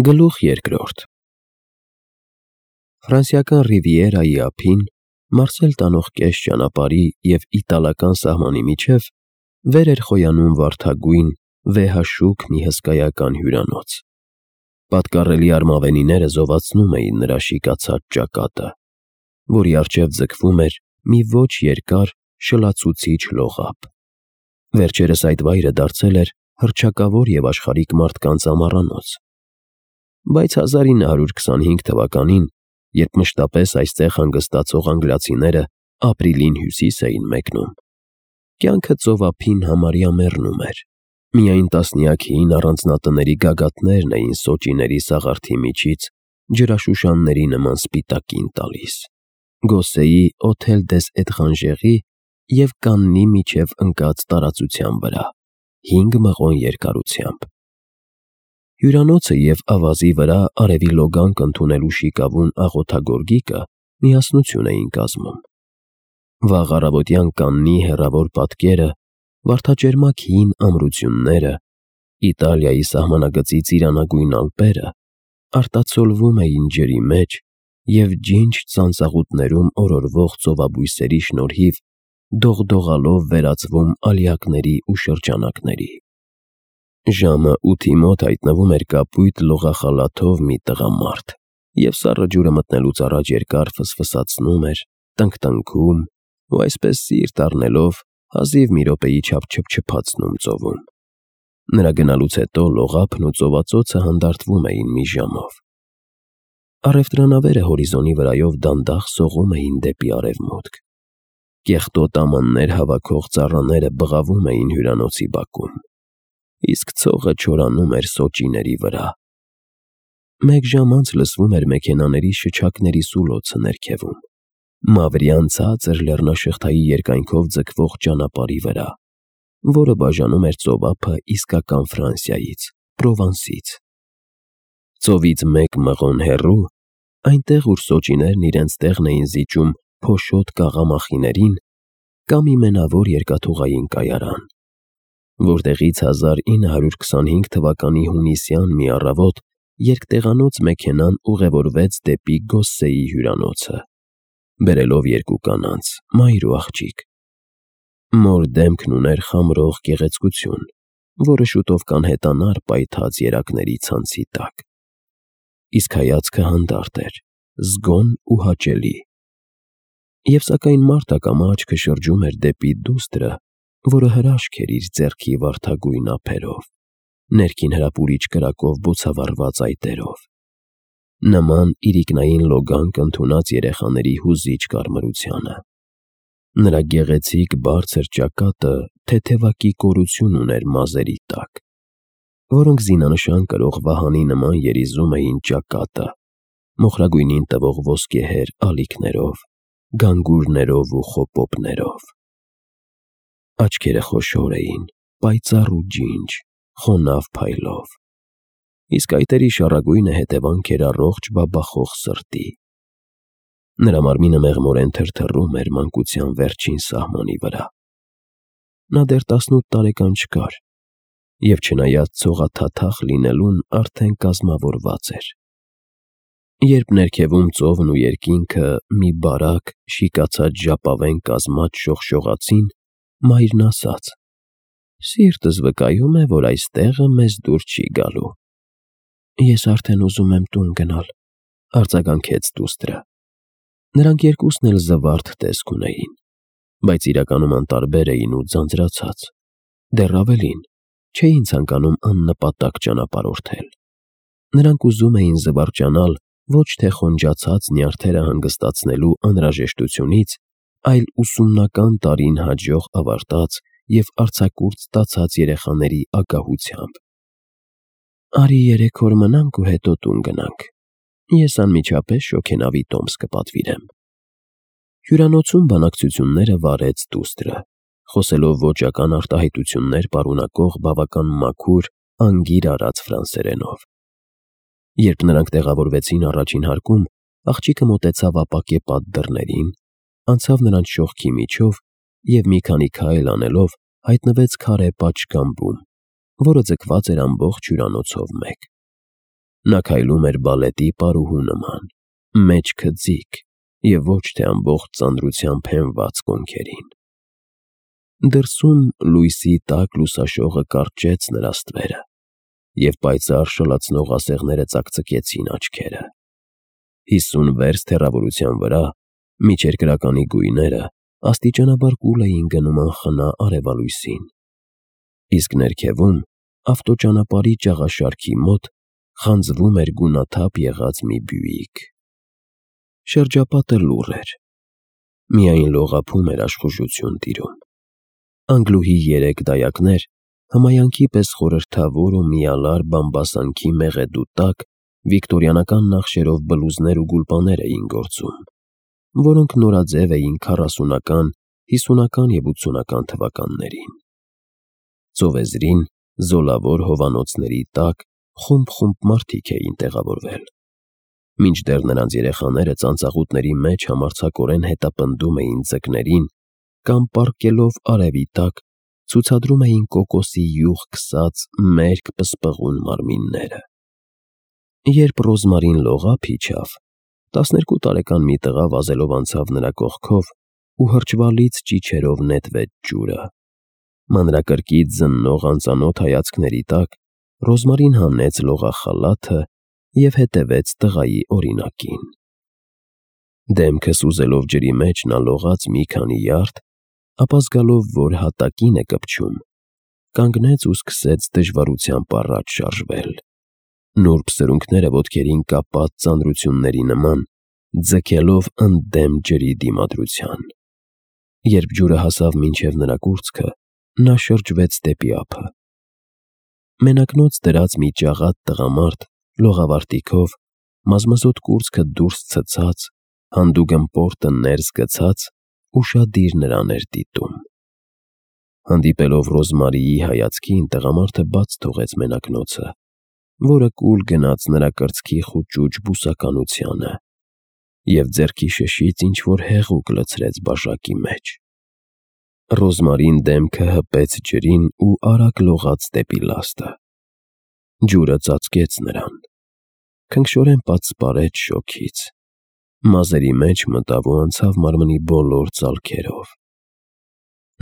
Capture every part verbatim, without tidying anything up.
Գլուխ երկրորդ Ֆրանսիական Ռիվիերայի ափին, Մարսել տանող կես ճանապարհի և իտալական սահմանի միջև վեր էր խոյանում վարդագույն, վեհաշուք մի հսկայական հյուրանոց. պատկառելի արմավենիները զովացնում էին նրա շիկացած ճակատը, որի առջև ձգվում էր մի ոչ երկար, շլացուցիչ լողափ. վերջերս այդ վայրը դարձել էր հռչակավոր և աշխարհիկ մարդկանց ամառանոց, բայց հազար ինը հարյուր քսանհինգ թվականին, երբ մշտապես այստեղ հանգստացող անգլիացիները ապրիլին Հյուսիս էին մեկնում, կյանքը ծովափին համարյա մեռնում էր. միայն տասնյակ հին առանձնատների գագաթներն էին սոճիների սաղարթի միջից ջրաշուշանների նման սպիտակին տալիս, Գոսեի Հոթել դես Էտրանժերի և Կաննի միջև ընկած տարածության վրա, հինգ մղոն երկարությամբ: Հյուրանոցը և ավազի վրա արևի լոգանք ընդունելու շիկավուն աղոթագորգիկը միասնություն էին կազմում: Վաղ առավոտյան Կաննի հեռավոր պատկերը, վարդաճերմակ հին ամրությունները, Իտալիայի սահմանագծի ծիրանագույն ալպերը արտացոլվում էին ջրի մեջ և ջինջ ծանծաղուտներում օրորվող ծովաբույսերի շնորհիվ դողդողալով վերածվում ալյակների ու շրջանակների: Ժամը ութի մոտ հայտնվում էր կապույտ լողախալաթով մի տղամարդ և սառը ջուրը մտնելուց առաջ երկար ֆսֆսացնում էր, տնկտնքում ու այսպես սիրտ առնելով հազիվ մի րոպեի չափ չփչփացնում ծովում: Նրա գնալուց հետո լողափն ու ծովածոցը հանդարտվում էին մի ժամով: Առևտրանավերը հորիզոնի վրայով դանդաղ սողում էին դեպի արևմուտք: Կեղտոտ ամաններ հավաքող ծառաները բղավում էին հյուրանոցի բակում, իսկ ցողը չորանում էր սոճիների վրա: Մեկ ժամ անց լսվում էր մեքենաների շչակների սուլոցը ներքևում, մավրյան ցածր լեռնաշղթայի երկայնքով ձգվող ճանապարհի վրա, որը բաժանում էր ծովափը իսկական Ֆրանսիայից, Պրովանսից: Ծովից մեկ մղոն հեռու, այնտեղ, ուր սոճիներն իրենց տեղն էին զիջում փոշոտ կաղամախիներին, կա մի մենավոր երկաթուղային կայարան, որտեղից հազար ինը հարյուր քսանհինգ թվականի հունիսյան մի առավոտ երկտեղանոց մեքենան ուղևորվեց դեպի Գոսսեի հյուրանոցը, բերելով երկու կանանց՝ մայր ու աղջիկ: Մոր դեմքն ուներ խամրող գեղեցկություն, որը շուտով կանհետանար պայթած երակների ցանցի տակ: Իսկ հայացքը հանդարտ էր, զգոն ու հաճելի: Եվ սակայն մարդ ակամա աչքը շրջում էր դեպի դուստրը, որը հրաշք էր իր ձեռքի վարդագույն ափերով, ներքին հրապուրիչ կրակով բոցավառված այտերով, նման իրիկնային լոգանք ընդունած երեխաների հուզիչ կարմրությանը: Նրա գեղեցիկ բարձր ճակատը թեթևակի կորություն ուներ մազերի տակ, որոնք զինանշան կրող վահանի նման երիզում էին ճակատը, մոխրագույնին տվող ոսկեհեր ալիքներով, գանգուրներով ու խոպոպներով: Աչքերը խոշոր էին, պայծառ ու ջինջ, խոնավ փայլով, իսկ այտերի շառագույնը հետևանք էր առողջ բաբախող սրտի: Նրա մարմինը մեղմորեն թրթռում էր մանկության վերջին սահմանի վրա: Նա դեռ տասնութ տարեկան չկար և չնայած ցողաթաթախ լինելուն արդեն կազմավորված էր: Երբ ներքևում ծովն ու երկինքը մի բարակ, շիկացած ժապավեն կազմած շողշողացին, մայրն ասաց. «Սիրտս վկայում է, որ այս տեղը մեզ դուր չի գալու»: «Ես արդեն ուզում եմ տուն գնալ», ֊ արձագանքեց դուստրը: Նրանք երկուսն էլ զվարթ տեսք ունեին, բայց իրականում անտարբեր էին ու ձանձրացած, դեռ ավելին, չէին ցանկանում աննպատակ ճանապարհորդել: Նրանք ուզում էին զվարճանալ ոչ թե խոնջացած նյարդերը հանգստացնելու անհրաժեշտությունից, այլ ուսումնական տարին հաջող ավարտած և արձակուրդ ստացած երեխաների ագահությամբ: «Արի երեք օր մնանք ու հետո տուն գնանք, ես անմիջապես շոգենավի տոմս կպատվիրեմ»: Հյուրանոցում բանակցությունները վարեց դուստրը, խոսելով ոճական արտահայտություններ պարունակող բավական մաքուր, անգիր արած ֆրանսերենով: Երբ նրանք տեղավորվեցին առաջին հարկում, աղջիկը մոտեցավ ապակեպատ դռներին, անցավ նրանց շողքի միջով և մի քանի քայլ անելով հայտնվեց քարե պատշգամբում, որը ձգված էր ամբողջ հյուրանոցով մեկ: Նա քայլում էր բալետի պարուհու նման, մեջքը ձիգ և ոչ թե ամբողջ ծանրությամբ հենված կոնքերին։ Դրսում լույսի տաք լուսաշողը կարճեց նրա ստվերը, և պայծառ շլացնող ասեղները ծակծկեցին աչքերը։ Հիսուն վերստ հեռավորության վրա միջերկրականի գույները աստիճանաբար կուլ էին գնում անխնա արևալույսին, իսկ ներքևում, ավտոճանապարհի ճաղաշարքի մոտ, խանձվում էր գունաթափ եղած մի բյուիկ։ Շրջապատը լուռ էր, միայն լողափում էր աշխուժություն տիրում։ Անգլուհի երեք դայակներ հմայանքի պես խորհրդավոր ու միալար բամբասանքի մեղեդու տակ վիկտորյանական նախշերով բլուզներ ու գուլպաներ էին գործում, որոնք նորաձև էին քառասունական, հիսունական և ութսունական թվականներին։ Ծովեզրին, զոլավոր հովանոցների տակ խումբ-խումբ մարդիկ էին տեղավորվել, մինչդեռ նրանց երեխաները ծանծաղուտների մեջ համարձակորեն հետապնդում էին ձկներին կամ, պառկելով արևի տակ, ցուցադրում էին կոկոսի յուղ քսած մերկ պսպղուն մարմինները։ Երբ Ռոզմարին լողափ իջավ, տասներկու տարեկան մի տղա վազելով անցավ նրա կողքով ու հրճվալից ճիչերով նետվեց ջուրը։ Մանրակրկիտ զննող անծանոթ հայացքների տակ Ռոզմարին հանեց լողախալաթը և հետևեց տղայի օրինակին։ Դեմքը սուզելով ջրի մեջ նա լողաց մի քանի յարդ, ապա զգալով, որ հատակին է կպչում, կանգնեց ու սկսեց դժվարությամբ առաջ շարժվել, նուրբ սրունքները ոտքերին կապած ծանրությունների նման, ձգելով ընդդեմ ջրի դիմադրության։ Երբ ջուրը հասավ մինչև նրա կուրծքը, նա շրջվեց դեպի ափը։ Մենակնոց դրած մի ճաղատ տղամարդ, լողավարտիքով, մազմզոտ կուրծքը դուրս ցցած, հանդուգն պորտը ներս գցած, ուշադիր նրան էր դիտում։ Հանդիպելով Ռոզմարիի հայացքին, տղամարդը բաց թողեց մենակնոցը, որը կուլ գնաց նրա կրծքի խուճուճ բուսականությանը և ձեռքի շշից ինչ-որ հեղուկ լցրեց բաժակի մեջ։ Ռոզմարին դեմքը հպեց ջրին ու արագ լողաց դեպի լաստը։ Ջուրը ծածկեց նրան, քնքշորեն պատսպարեց շոգից, մազերի մեջ մտավ ու անցավ մարմնի բոլոր ծալքերով։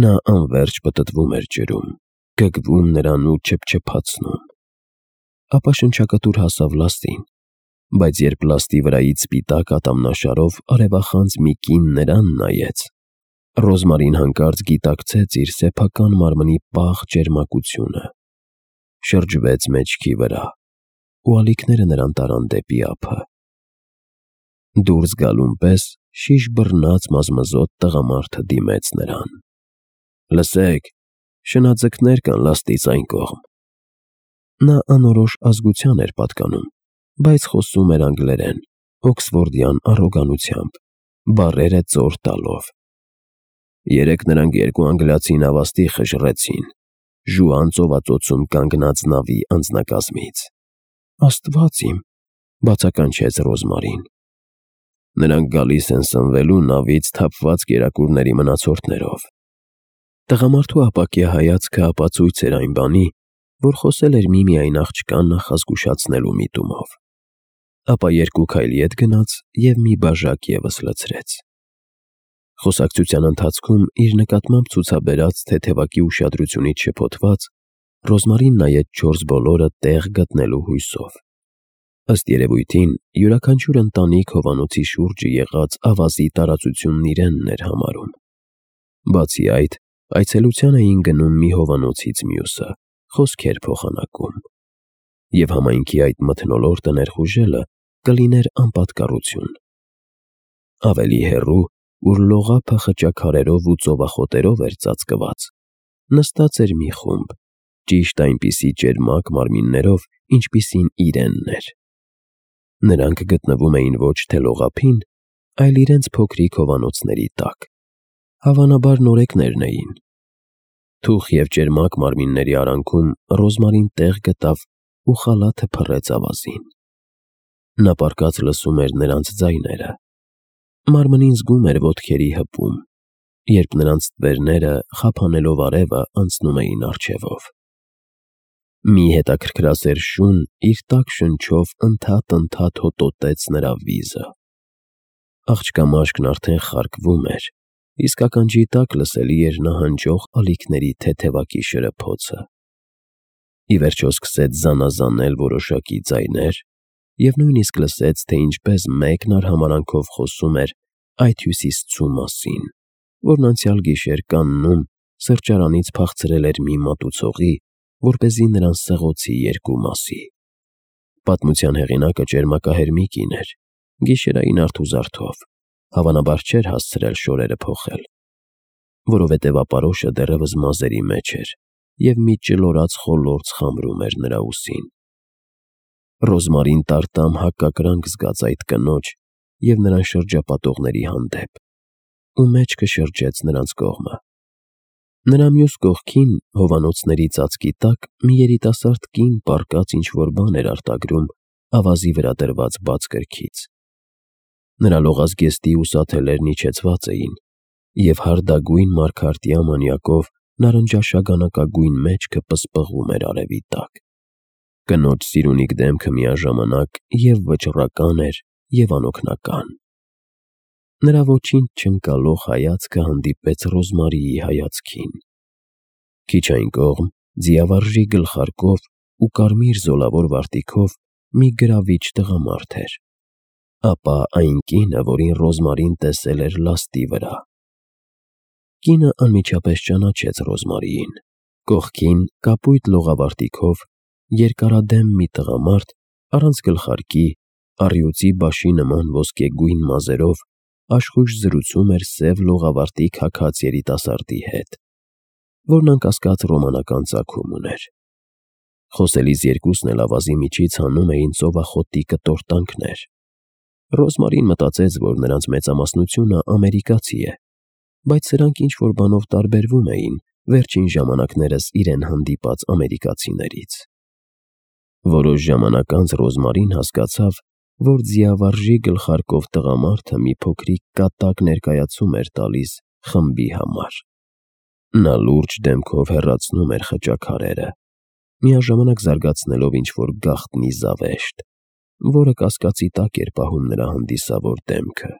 Նա անվերջ պտտվում էր ջրում, գգվում նրան ու չփչփացնում։ Ապա շնչակտուր հասավ լաստին, բայց երբ լաստի վրայից սպիտակ ատամնաշարով արևախանձ մի կին նրան նայեց, Ռոզմարին հանկարծ գիտակցեց իր սեփական մարմնի պաղ ճերմակությունը, շրջվեց մեջքի վրա ու ալիքները նրան տարան դեպի ափը։ Դուրս գալուն պես շիշ բռնած մազմզոտ տղամարդը դիմեց նրան։ «Լսեք, շնաձկներ կան լաստից այն կողմ»։ Նա անորոշ ազգության էր պատկանում, բայց խոսում էր անգլերեն, օքսֆորդյան առոգանությամբ, բառերը ծոր տալով։ «Երեկ նրանք երկու անգլիացի նավաստի խժռեցին Ժուան ծովածոցում կանգնած նավի անձնակազմից»։ «Աստված իմ», բացականչեց Ռոզմարին։ «Նրանք գալիս են սնվելու նավից թափված կերակուրների մնացորդներով»։ Տղամարդու ապակյա հայացքը ապացույց էր այն բանի, որ խոսել էր միմիայն աղջկան նախազգուշացնելու միտումով։ Ապա երկու քայլ ետ գնաց և մի բաժակ ևս լցրեց։ Խոսակցության ընթացքում իր նկատմամբ ցուցաբերած թեթևակի ուշադրությունից շփոթված, Ռոզմարին նայեց չորս բոլորը տեղ գտնելու հույսով։ Ըստ երևույթին, յուրաքանչյուր ընտանիք հովանոցի շուրջը եղած ավազի տարածությունն իրենն էր համարում։ Բացի այդ, այցելության էին գնում մի հովանոցից մյուսը, խոսքեր փոխանակում։ Եվ համայնքի այդ մթնոլորտը ներխուժելը կլիներ անպատկառություն։ Ավելի հեռու, ուր լողափը խճաքարերով ու ծովախոտերով էր ծածկված, նստած էր մի խումբ, ճիշտ այնպիսի ճերմակ մարմիններով, ինչպիսին իրենն էր։ Նրանք գտնվում էին ոչ թե լողափին, այլ իրենց փոքրիկ հովանոցների տակ։ Հավանաբար նորեկներն էին։ Թուխ և ճերմակ մարմինների արանքում Ռոզմարին տեղ գտավ ու խալաթը փռեց ավազին։ Նա պառկած լսում էր նրանց ձայները։ Մարմնին զգում էր ոտքերի հպում, երբ նրանց ստվերները, խափանելով արևը, անցնում էին առջևով։ Մի հետաքրքրասեր շուն իր տաք շնչով ընդհատ-ընդհատ հոտոտեց նրա վիզը։ Աղջկա մաշկն արդեն խարկվում էր, իսկ ականջի տակ լսելի էր նահանջող ալիքների թեթևակի շրփոցը։ Ի վերջո սկսեց զանազանել որոշակի ձայներ և նույնիսկ լսեց, թե ինչպես մեկն արհամարանքով խոսում էր այդ հյուսիսցու մասին, որն անցյալ գիշեր կաննում սրճարանից փախցրել էր մի մատուցողի, որպեսզի նրան սղոցի երկու մասի։ Պատմության հեղինակը ճերմակահեր մի կին էր, գիշերային արթուզարթով, հավանաբար չէր հասցրել շորերը փոխել, որովհետև ապարոշը դեռևս մազերի մեջ էր և մի ճլորած խոլորձ խամրում էր նրա ուսին։ Ռոզմարին տարտամ հակակրանք զգաց այդ կնոջ և նրան շրջապատողների հանդեպ, ու մեջքը շրջեց նրանց կողմը։ Նրա մյուս կողքին, հովանոցների ծածկի տակ, մի երիտասարդ կին պառկած ինչ-որ բան էր արտագրում ավազի վրա դրված բաց գրքից։ Նրա լողազգեստի ուսաթելերն իջեցված էին, և հարդագույն մարգարտյա մանյակով նարնջաշագանակագույն մեջքը պսպղում էր արևի տակ։ Կնոջ սիրունիկ դեմքը միաժամանակ և վճռական էր, և անօգնական։ Նրա ոչինչ չընկալող հայացքը հանդիպեց Ռոզմարիի հայացքին։ Քիչ այն կողմ, ձիավարժի գլխարկով ու կարմիր զոլավոր վարտիքով մի գրավիչ տղամարդ էր, ապա այն կինը, որին Ռոզմարին տեսել էր լաստի վրա։ Կինը անմիջապես ճանաչեց Ռոզմարիին։ Կողքին, կապույտ լողավարտիքով, երկարադեմ մի տղամարդ, առանց գլխարկի, առյուծի բաշի նման ոսկեգույն մազերով, աշխույժ զրուցում էր սև լողավարտիք հագած երիտասարդի հետ, որն անկասկած ռոմանական ծագում ուներ։ Խոսելիս երկուսն էլ ավազի միջից հանում էին ծովախոտի կտորտանքներ։ Ռոզմարին մտածեց, որ նրանց մեծամասնությունը ամերիկացի է, բայց սրանք ինչ-որ բանով տարբերվում էին վերջին ժամանակներս իրեն հանդիպած ամերիկացիներից։ Որոշ ժամանակ անց Ռոզմարին հասկացավ, որ ձիավարժի գլխարկով տղամարդը մի փոքրիկ կատակ ներկայացում էր տալիս խմբի համար։ Նա լուրջ դեմքով հեռացնում էր խճաքարերը, միաժամանակ զարգացնելով ինչ-որ գաղտնի զավեշտ, որը կասկածի տակ էր պահում նրա հանդիսավոր դեմքը։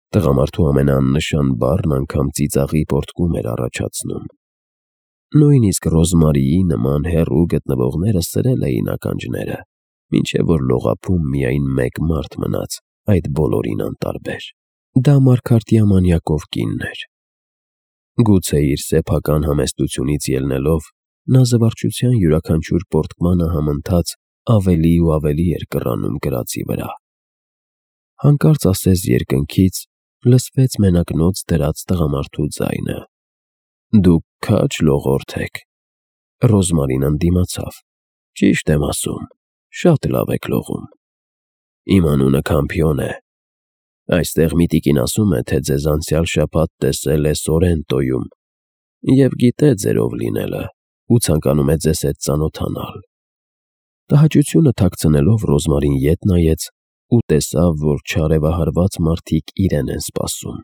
Տղամարդու ամենաաննշան բառն անգամ ծիծաղի պոռթկում էր առաջացնում։ Նույնիսկ Ռոզմարիի նման հեռու գտնվողները սրել էին ականջները, մինչև որ լողափում միայն մեկ մարդ մնաց այդ բոլորին անտարբեր։ Դա մարգարտյա մանյակով կինն էր։ Գուցե իր սեփական համեստությունից ելնելով, նա զվարճության յուրաքանչյուր պոռթկմանը համընթաց ավելի ու ավելի էր կռանում կրածի վրա։ Հանկարծ ասես երկնքից լսվեց մենակնոց դրած տղամարդու ձայնը. «Դուք քաջ լողորդ եք»։ Ռոզմարին ընդդիմացավ. «Ճիշտ եմ ասում, շատ լավ եք լողում։ Իմ անունը Քամփիոն է։ Այստեղ մի տիկին ասում է, թե ձեզ անցյալ շաբաթ տեսել է Սորենտոյում և գիտե ձեր ով լինելը ու ցանկանում է ձեզ հետ ծանոթանալ»։ Տհաճությունը թաքցնելով Ռոզմարին ետ նայեց ու տեսավ, որ չարևահարված մարդիկ իրեն են սպասում։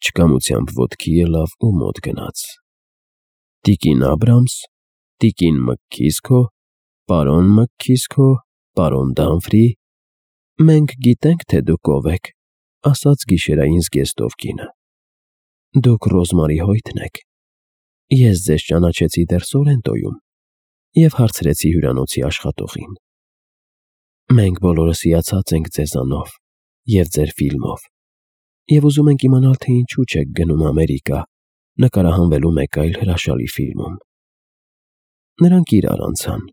Չկամությամբ ոտքի ելավ ու մոտ գնաց։ «Տիկին Աբրամս, տիկին Մքքիսքո, պարոն Մքքիսքո, պարոն Դամֆրի, մենք գիտենք, թե դուք ով եք», ասաց գիշերային զգեստով կինը։ «Դուք Ռոզմարի Հոյթն եք։ Ես ձեզ ճանաչեցի դեռ Սորենտոյում և հարցրեցի հյուրանոցի աշխատողին։ Մենք բոլորս հիացած ենք ձեզանով և ձեր ֆիլմով և ուզում ենք իմանալ, թե ինչու չեք գնում Ամերիկա նկարահանվելու մեկ այլ հրաշալի ֆիլմում»։ Նրանք իրար անցան,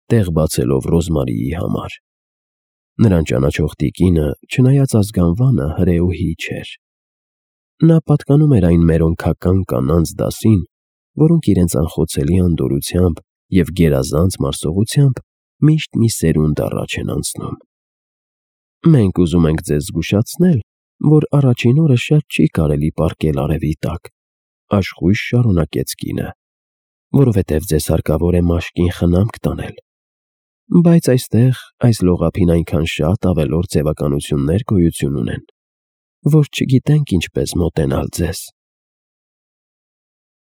տեղ բացելով Ռոզմարիի համար։ Նրան ճանաչող տիկինը, չնայած ազգանվանը, հրեուհի չէր։ Նա պատկանում էր այն մերոնքական կանանց դասին, որոնք իրենց անխոցելի անդորրությամբ և գերազանց մարսողությամբ միշտ մի սերունդ առաջ են անցնում։ «Մենք ուզում ենք ձեզ զգուշացնել, որ առաջին օրը շատ չի կարելի պառկել արևի տակ», աշխույժ շարունակեց կինը, «որովհետև ձեզ հարկավոր է մաշկին խնամք տանել։ Բայց այստեղ, այս լողափին այնքան շատ ավելորդ ձևականություններ գոյություն ունեն, որ չգիտենք ինչպես մոտենալ ձեզ»։